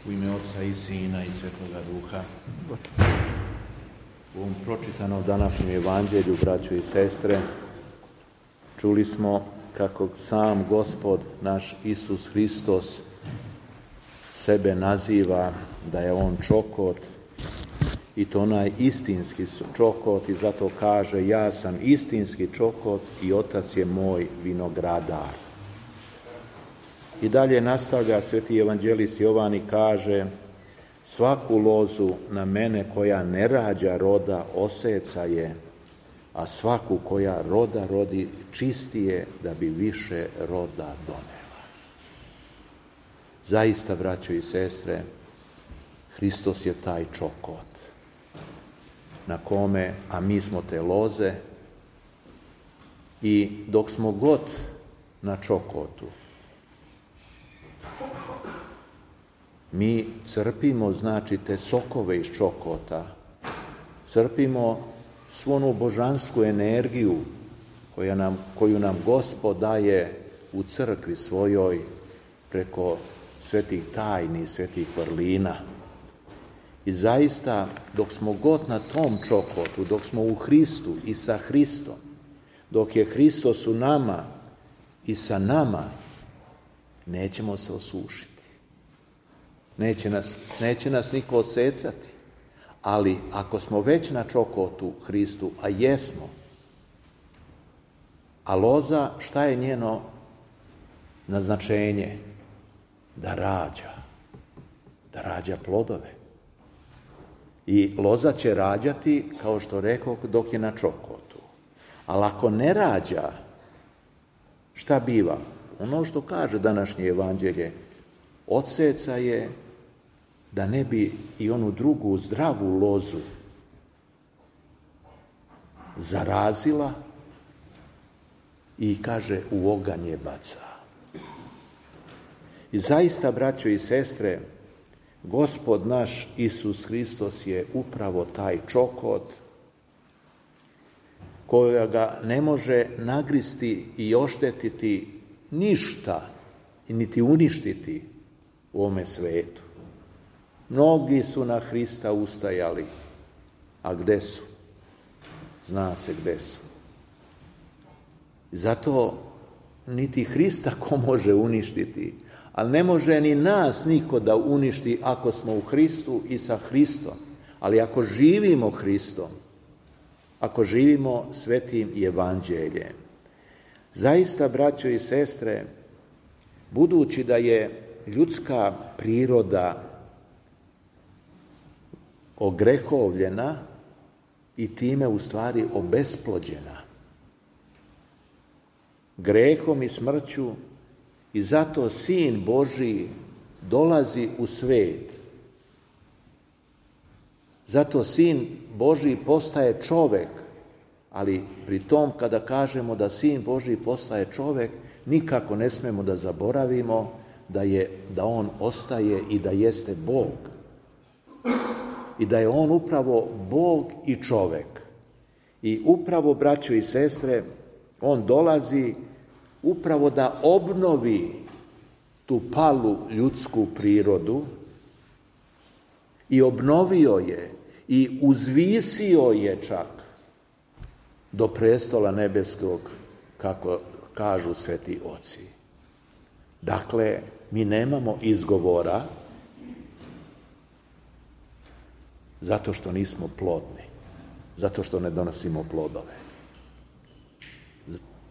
U ime Oca i Sina i Svetoga Duha. U ovom pročitanom današnjem evanđelju, braćo i sestre, čuli smo kako sam Gospod naš Isus Hristos sebe naziva da je on čokot, i to onaj istinski čokot, i zato kaže: ja sam istinski čokot i Otac je moj vinogradar. I dalje nastavlja sveti evanđelist Jovan i kaže: svaku lozu na mene koja ne rađa roda oseca je, a svaku koja roda rodi čisti je da bi više roda donela. Zaista, braćo i sestre, Hristos je taj čokot na kome, a mi smo te loze, i dok smo god na čokotu, mi crpimo, znači, te sokove iz čokota, crpimo svu onu božansku energiju koju nam Gospod daje u crkvi svojoj preko svetih tajni, svetih vrlina. I zaista, dok smo god na tom čokotu, dok smo u Hristu i sa Hristom, dok je Hristos u nama i sa nama, nećemo se osušiti. Neće nas niko odsecati. Ali ako smo već na čokotu Hristu, a jesmo, a loza, šta je njeno naznačenje? Da rađa plodove. I loza će rađati, kao što rekao, dok je na čokotu. Ali ako ne rađa, šta biva? Ono što kaže današnje evanđelje: odseca je, da ne bi i onu drugu zdravu lozu zarazila, i kaže: u oganj je baca. I zaista, braćo i sestre, Gospod naš Isus Hristos je upravo taj čokot kojega ne može nagristi i oštetiti ništa, niti uništiti u ovome svetu. Mnogi su na Hrista ustajali, a gde su? Zna se gde su. Zato niti Hrista ko može uništiti, ali ne može ni nas niko da uništi ako smo u Hristu i sa Hristom. Ali ako živimo Hristom, ako živimo svetim evanđeljem, zaista, braćo i sestre, budući da je ljudska priroda ogrehovljena i time u stvari obesplođena grehom i smrću, i zato Sin Božji dolazi u svet. Zato Sin Božji postaje čovek, ali pri tom kada kažemo da Sin Božji postaje čovek, nikako ne smemo da zaboravimo da on ostaje i da jeste Bog. I da je on upravo Bog i čovek. I upravo, braćo i sestre, on dolazi upravo da obnovi tu palu ljudsku prirodu, i obnovio je i uzvisio je čak do prestola nebeskog, kako kažu sveti oci. Dakle, mi nemamo izgovora zato što nismo plodni, zato što ne donosimo plodove.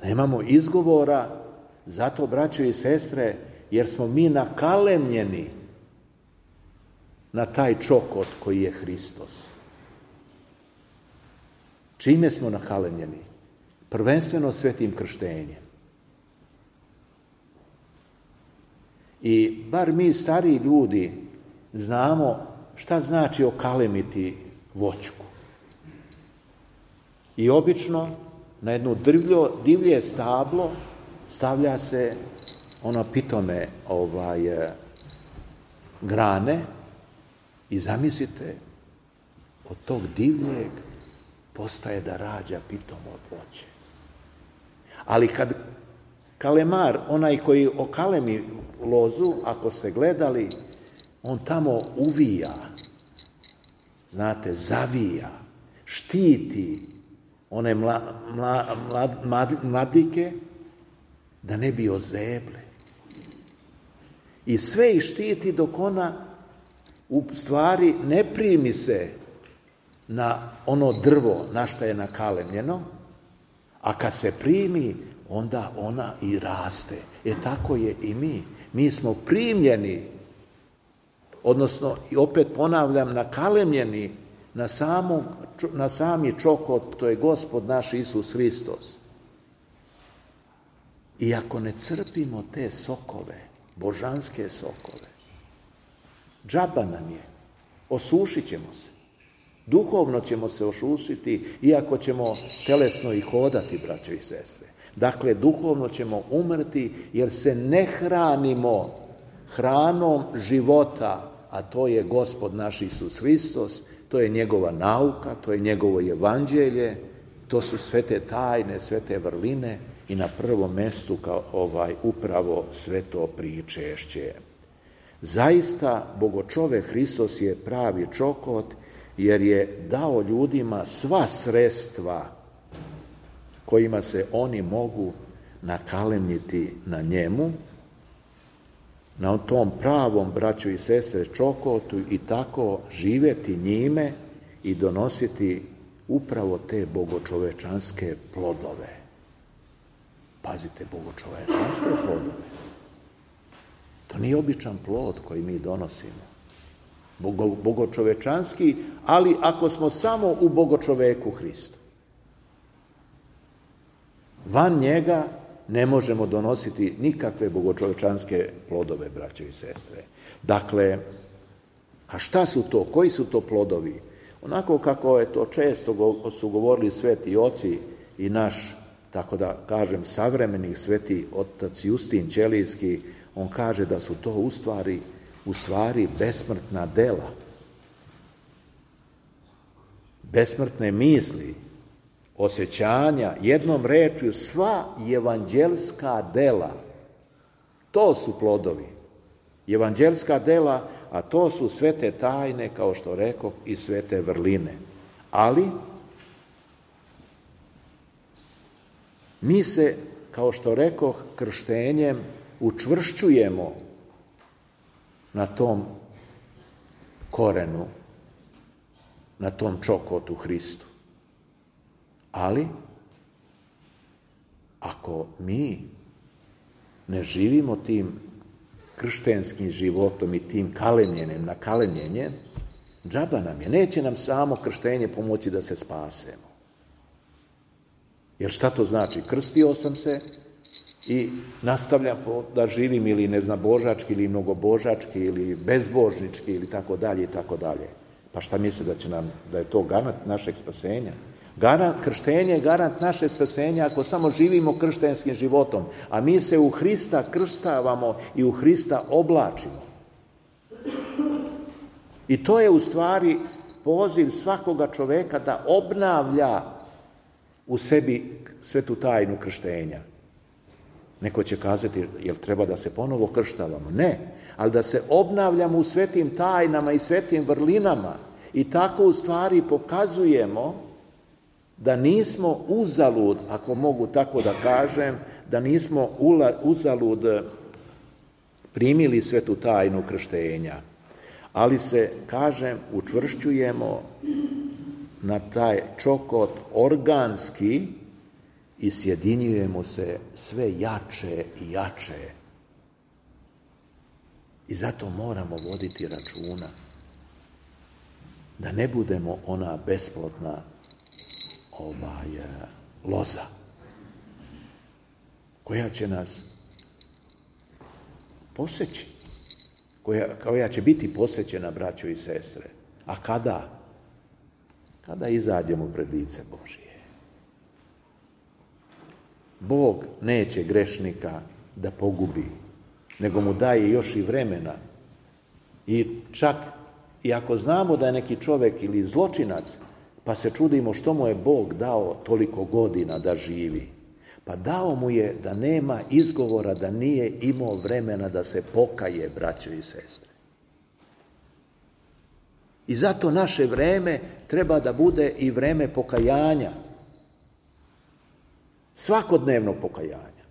Nemamo izgovora zato, braćo i sestre, jer smo mi nakalemljeni na taj čokot koji je Hristos. Čime smo nakalemljeni? Prvenstveno svetim krštenjem. I bar mi stariji ljudi znamo šta znači okalemiti voćku. I obično na jedno divlje stablo stavlja se ono pitome grane, i zamislite, od tog divljeg postaje da rađa pitomo voće. Ali kad kalemar, onaj koji okalemi lozu, ako ste gledali, On tamo uvija, znate, zavija, štiti one mladike da ne bi ozeble. I sve ih štiti dok ona u stvari ne primi se na ono drvo na što je nakalemljeno, a kad se primi, onda ona i raste. Tako je i mi. Mi smo primljeni, odnosno, i opet ponavljam, nakalemljeni na sami čokot, to je Gospod naš Isus Hristos. I ako ne crpimo te sokove, božanske sokove, džaba nam je, osušit ćemo se. Duhovno ćemo se osušiti, iako ćemo telesno i hodati, braćo i sestre. Dakle, duhovno ćemo umrti, jer se ne hranimo hranom života, a to je Gospod naš Isus Hristos, to je njegova nauka, to je njegovo evanđelje, to su sve te tajne, sve te vrline i na prvom mestu upravo sveto pričešće. Zaista, Bogočovek Hristos je pravi čokot, jer je dao ljudima sva sredstva kojima se oni mogu nakalemniti na njemu, na tom pravom, braćo i sestre, čokotu i tako živjeti njime i donositi upravo te bogočovečanske plodove. Pazite, bogočovečanske plodove. To nije običan plod koji mi donosimo. Bogočovečanski, ali ako smo samo u bogočoveku Hristu. Van njega ne možemo donositi nikakve bogočovečanske plodove, braćo i sestre. Dakle, a šta su to? Koji su to plodovi? Onako kako je to često su govorili sveti oci i naš, tako da kažem, savremeni sveti otac Justin Ćelijski, on kaže da su to u stvari besmrtna dela. Besmrtne misli, osjećanja, jednom rečju sva evanđelska dela. To su plodovi. Evanđelska dela, a to su svete tajne, kao što rekoh, i svete vrline. Ali mi se, kao što rekoh, krštenjem učvršćujemo na tom korenu, na tom čokotu Hristu. Ali, ako mi ne živimo tim krštenskim životom i tim nakalemljenjem, džaba nam je. Neće nam samo krštenje pomoći da se spasemo. Jer šta to znači? Krstio sam se i nastavljam da živim ili neznabožački, ili mnogobožački, ili bezbožnički, ili tako dalje, i tako dalje. Pa šta misle da je to garant našeg spasenja? Krštenje je garant naše spasenja ako samo živimo krštenskim životom, a mi se u Hrista krstavamo i u Hrista oblačimo. I to je u stvari poziv svakoga čoveka da obnavlja u sebi svetu tajnu krštenja. Neko će kazati, jel treba da se ponovo krštavamo? Ne, ali da se obnavljamo u svetim tajnama i svetim vrlinama i tako u stvari pokazujemo da nismo uzalud, ako mogu tako da kažem, da nismo uzalud primili svetu tajnu krštenja, ali se, kažem, učvršćujemo na taj čokot organski i sjedinjujemo se sve jače i jače. I zato moramo voditi računa da ne budemo ona besplodna loza koja će nas poseći, koja će biti posećena, braćo i sestre. A kada? Kada izađemo pred lice Božije. Bog neće grešnika da pogubi, nego mu daje još i vremena. I čak i ako znamo da je neki čovjek ili zločinac, pa se čudimo što mu je Bog dao toliko godina da živi. Pa dao mu je da nema izgovora, da nije imao vremena da se pokaje, braćo i sestre. I zato naše vreme treba da bude i vreme pokajanja. Svakodnevno pokajanja.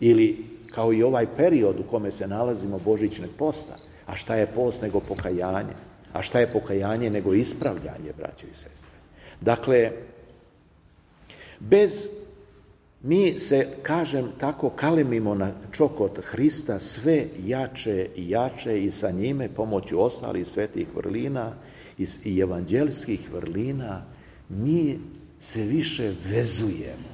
Ili kao i ovaj period u kome se nalazimo božićnog posta. A šta je post nego pokajanje? A šta je pokajanje nego ispravljanje, braćo i sestre? Dakle, mi se, kažem, tako kalemimo na čokot Hrista sve jače i jače i sa njime pomoću ostalih svetih vrlina i evanđelskih vrlina mi se više vezujemo.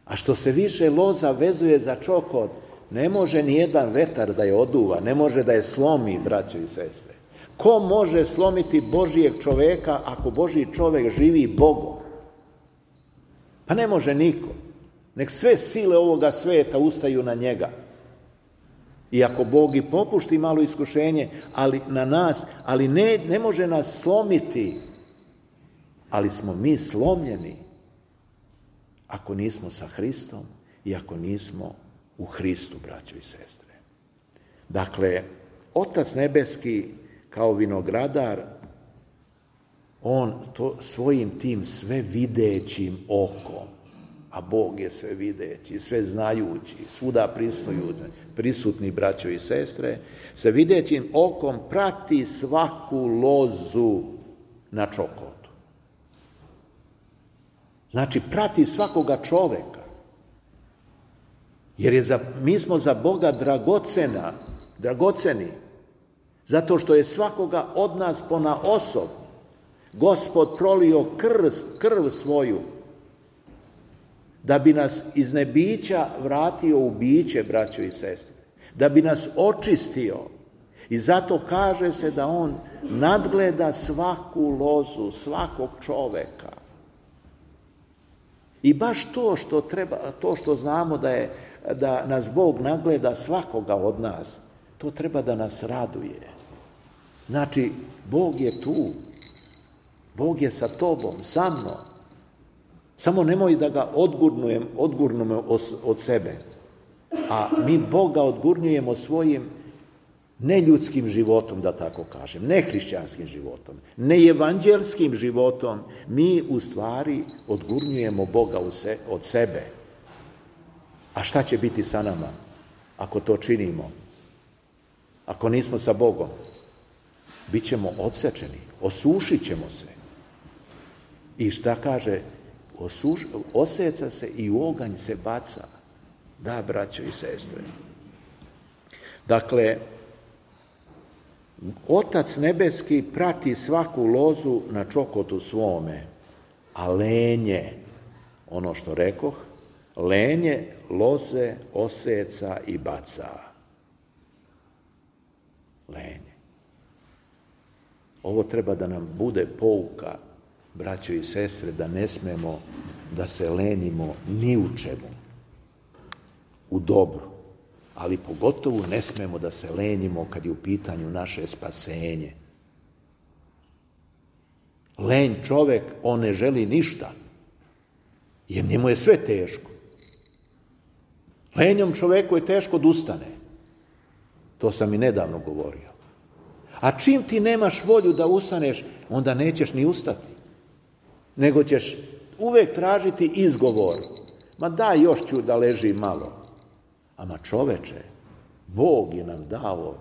A što se više loza vezuje za čokot, ne može ni jedan vetar da je oduva, ne može da je slomi, braćo i sestre. Ko može slomiti Božijeg čoveka ako Božji čovek živi Bogom? Pa ne može niko. Nek sve sile ovoga sveta ustaju na njega. Iako Bog i popušti malo iskušenje, ali na nas, ali ne može nas slomiti. Ali smo mi slomljeni ako nismo sa Hristom i ako nismo u Hristu, braćo i sestre. Dakle, Otac nebeski kao vinogradar, on to svojim tim sve videćim okom, a Bog je sve videći, sve znajući, svuda prisutni, braćo i sestre, sa videćim okom prati svaku lozu na čokotu. Znači, prati svakoga čoveka. Jer mi smo za Boga dragoceni, zato što je svakoga od nas ponaosob Gospod prolio krv svoju, da bi nas iz nebića vratio u biće, braćo i sestre, da bi nas očistio. I zato kaže se da on nadgleda svaku lozu, svakog čoveka. I baš to što znamo da nas Bog nagleda svakoga od nas, to treba da nas raduje. Znači, Bog je tu. Bog je sa tobom, sa mnom. Samo nemoj da ga odgurnemo od sebe. A mi Boga odgurnjujemo svojim neljudskim životom, da tako kažem, nehrišćanskim životom, neevanđelskim životom. Mi u stvari odgurnjujemo Boga od sebe. A šta će biti sa nama ako to činimo? Ako nismo sa Bogom? Bićemo odsečeni, osušit ćemo se. I šta kaže? Oseca se i u oganj se baca. Da, braćo i sestre. Dakle, Otac nebeski prati svaku lozu na čokotu svome, a lenje, ono što rekoh, lenje loze oseca i baca. Lenje. Ovo treba da nam bude pouka, braćo i sestre, da ne smemo da se lenimo ni u čemu, u dobru, ali pogotovo ne smemo da se lenimo kad je u pitanju naše spasenje. Lenj čovek, on ne želi ništa, jer njemu je sve teško. Lenjom čoveku je teško da ustane. To sam i nedavno govorio. A čim ti nemaš volju da ustaneš, onda nećeš ni ustati. Nego ćeš uvek tražiti izgovor. Ma daj, još ću da ležim malo. Ama čoveče, Bog je nam dao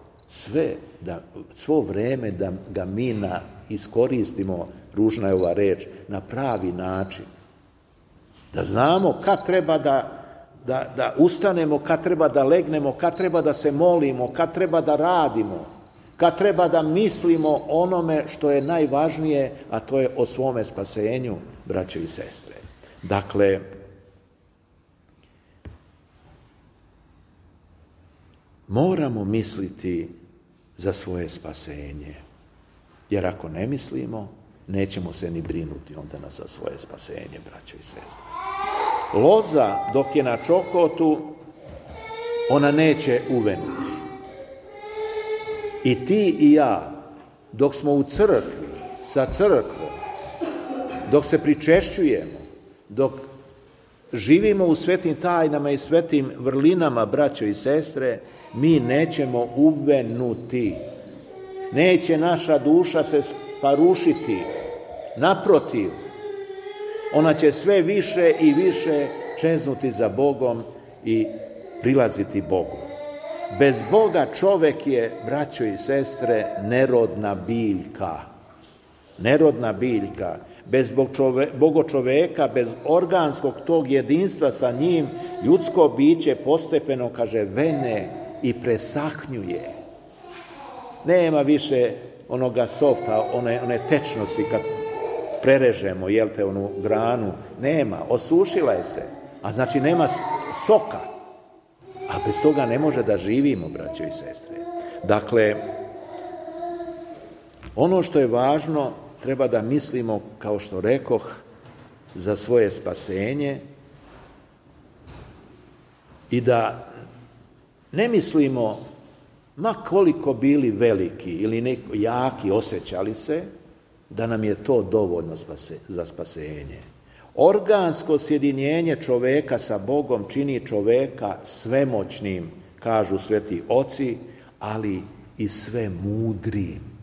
svo vreme da ga mi iskoristimo, ružna je ova reč, na pravi način. Da znamo kad treba da ustanemo, kad treba da legnemo, kad treba da se molimo, kad treba da radimo, kad treba da mislimo onome što je najvažnije, a to je o svome spasenju, braćo i sestre. Dakle, moramo misliti za svoje spasenje, jer ako ne mislimo, nećemo se ni brinuti onda za svoje spasenje, braćo i sestre. Loza, dok je na čokotu, ona neće uvenuti. I ti i ja, dok smo u crkvi, sa crkvom, dok se pričešćujemo, dok živimo u svetim tajnama i svetim vrlinama, braćo i sestre, mi nećemo uvenuti. Neće naša duša se sparušiti. Naprotiv, ona će sve više i više čeznuti za Bogom i prilaziti Bogu. Bez Boga čovek je, braćo i sestre, nerodna biljka. Nerodna biljka. Bez bogočoveka, bez organskog tog jedinstva sa njim, ljudsko biće postepeno, kaže, vene i presahnjuje. Nema više onoga softa, one tečnosti kad prerežemo, onu granu. Nema, osušila je se. A znači nema soka. A bez toga ne može da živimo, braćo i sestre. Dakle, ono što je važno, treba da mislimo, kao što rekoh, za svoje spasenje i da ne mislimo, ma koliko bili veliki ili jaki osjećali se, da nam je to dovoljno za spasenje. Organsko sjedinjenje čoveka sa Bogom čini čoveka svemoćnim, kažu sveti oci, ali i sve mudrim.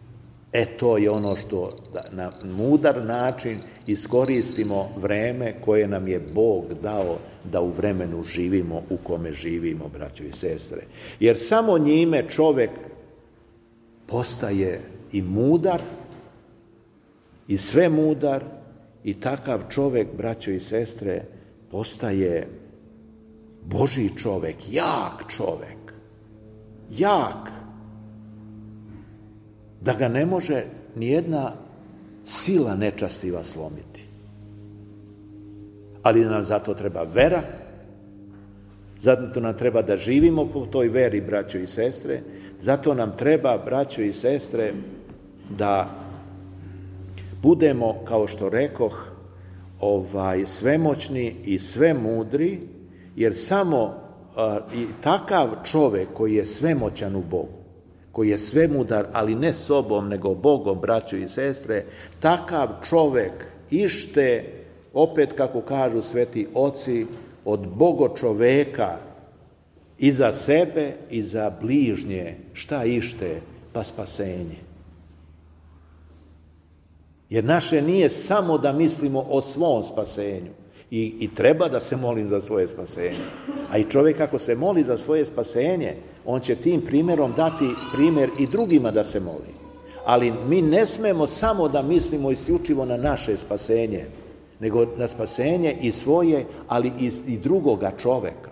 To je ono što na mudar način iskoristimo vreme koje nam je Bog dao da u vremenu živimo u kome živimo, braćo i sestre. Jer samo njime čovek postaje i mudar, i sve mudar, i takav čovek, braćo i sestre, postaje Božji čovek, jak čovek, jak, da ga ne može nijedna sila nečastiva slomiti. Ali nam zato treba vera, zato nam treba da živimo po toj veri, braćo i sestre, zato nam treba, braćo i sestre, da budemo, kao što rekoh, svemoćni i sve mudri, jer samo i takav čovek koji je svemoćan u Bogu, koji je svemudar, ali ne sobom, nego Bogom, braćo i sestre, takav čovek ište, opet kako kažu sveti oci, od bogočoveka i za sebe i za bližnje. Šta ište? Pa spasenje. Jer naše nije samo da mislimo o svom spasenju. I treba da se molim za svoje spasenje. A i čovjek ako se moli za svoje spasenje, on će tim primjerom dati primjer i drugima da se moli. Ali mi ne smemo samo da mislimo isključivo na naše spasenje, nego na spasenje i svoje, ali i drugoga čoveka.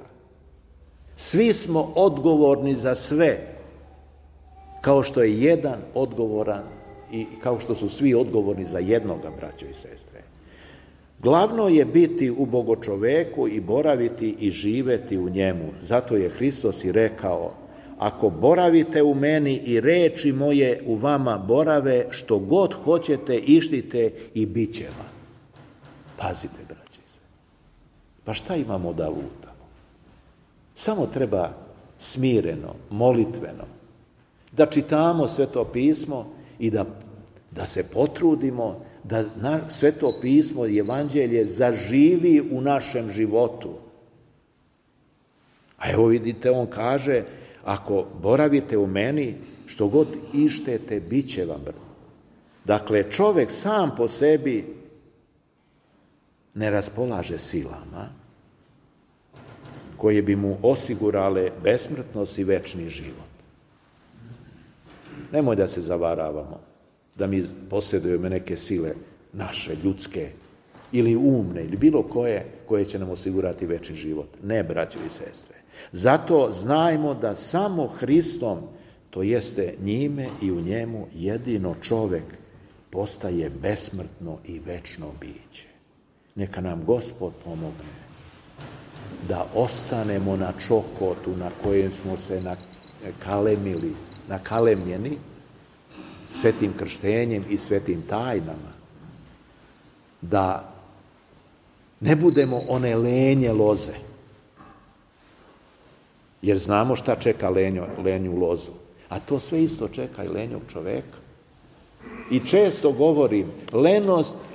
Svi smo odgovorni za sve, kao što je jedan odgovoran i kao što su svi odgovorni za jednoga, braćo i sestre. Glavno je biti u bogočoveku i boraviti i živeti u njemu. Zato je Hristos i rekao: ako boravite u meni i reči moje u vama borave, što god hoćete ištite i bit će vam. Pazite, braće se. Pa šta imamo da lutamo? Samo treba smireno, molitveno, da čitamo Sveto pismo i da se potrudimo da Sveto pismo i evanđelje zaživi u našem životu. A evo vidite, on kaže: ako boravite u meni, što god ištete, bit će vam. Dakle, čovjek sam po sebi ne raspolaže silama koje bi mu osigurale besmrtnost i večni život. Nemoj da se zavaravamo da mi posjedujemo neke sile naše, ljudske, ili umne, ili bilo koje će nam osigurati večni život. Ne, braćo i sestre. Zato znajmo da samo Hristom, to jeste njime i u njemu, jedino čovjek postaje besmrtno i večno biće. Neka nam Gospod pomogne da ostanemo na čokotu na kojem smo se nakalemljeni svetim krštenjem i svetim tajnama, da ne budemo one lenje loze, jer znamo šta čeka lenju lozu, a to sve isto čeka i lenjog čoveka. I često govorim,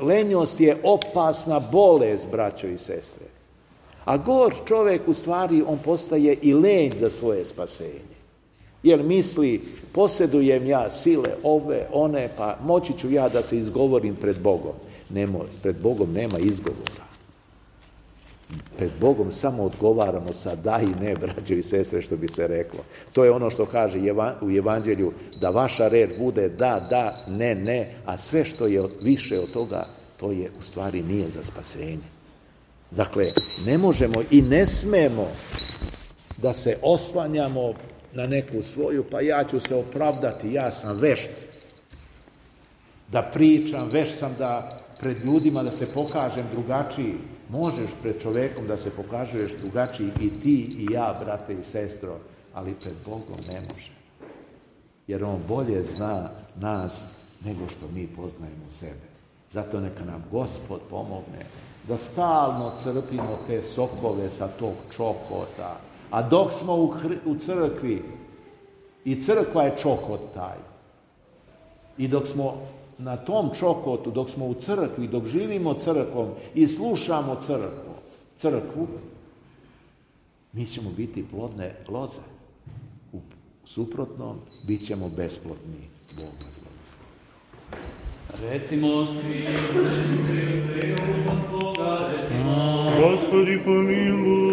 lenjost je opasna bolest, braćo i sestre. A gor čovjek u stvari, on postaje i lenj za svoje spasenje. Jer misli, posjedujem ja sile ove, one, pa moći ću ja da se izgovorim pred Bogom. Pred Bogom nema izgovora. Pred Bogom samo odgovaramo sa da i ne, braćo i sestre, što bi se reklo. To je ono što kaže u Evanđelju, da vaša reč bude da, ne, a sve što je više od toga, to je u stvari nije za spasenje. Dakle, ne možemo i ne smemo da se oslanjamo na neku svoju, pa ja ću se opravdati, ja sam vešt da pričam, vešt sam da pred ljudima da se pokažem drugačiji. Možeš pred čovekom da se pokažeš drugačiji i ti i ja, brate i sestro, ali pred Bogom ne može. Jer on bolje zna nas nego što mi poznajemo sebe. Zato neka nam Gospod pomogne da stalno crpimo te sokove sa tog čokota. A dok smo u crkvi, i crkva je čokot taj, i dok smo na tom čokotu, dok smo u crkvi, dok živimo crkvom i slušamo crkvu, mi ćemo biti plodne loze. U suprotnom, bit ćemo besplodni. Bog vas blagoslovi. Recimo svi, svoga, recimo. Gospodi pomiluj.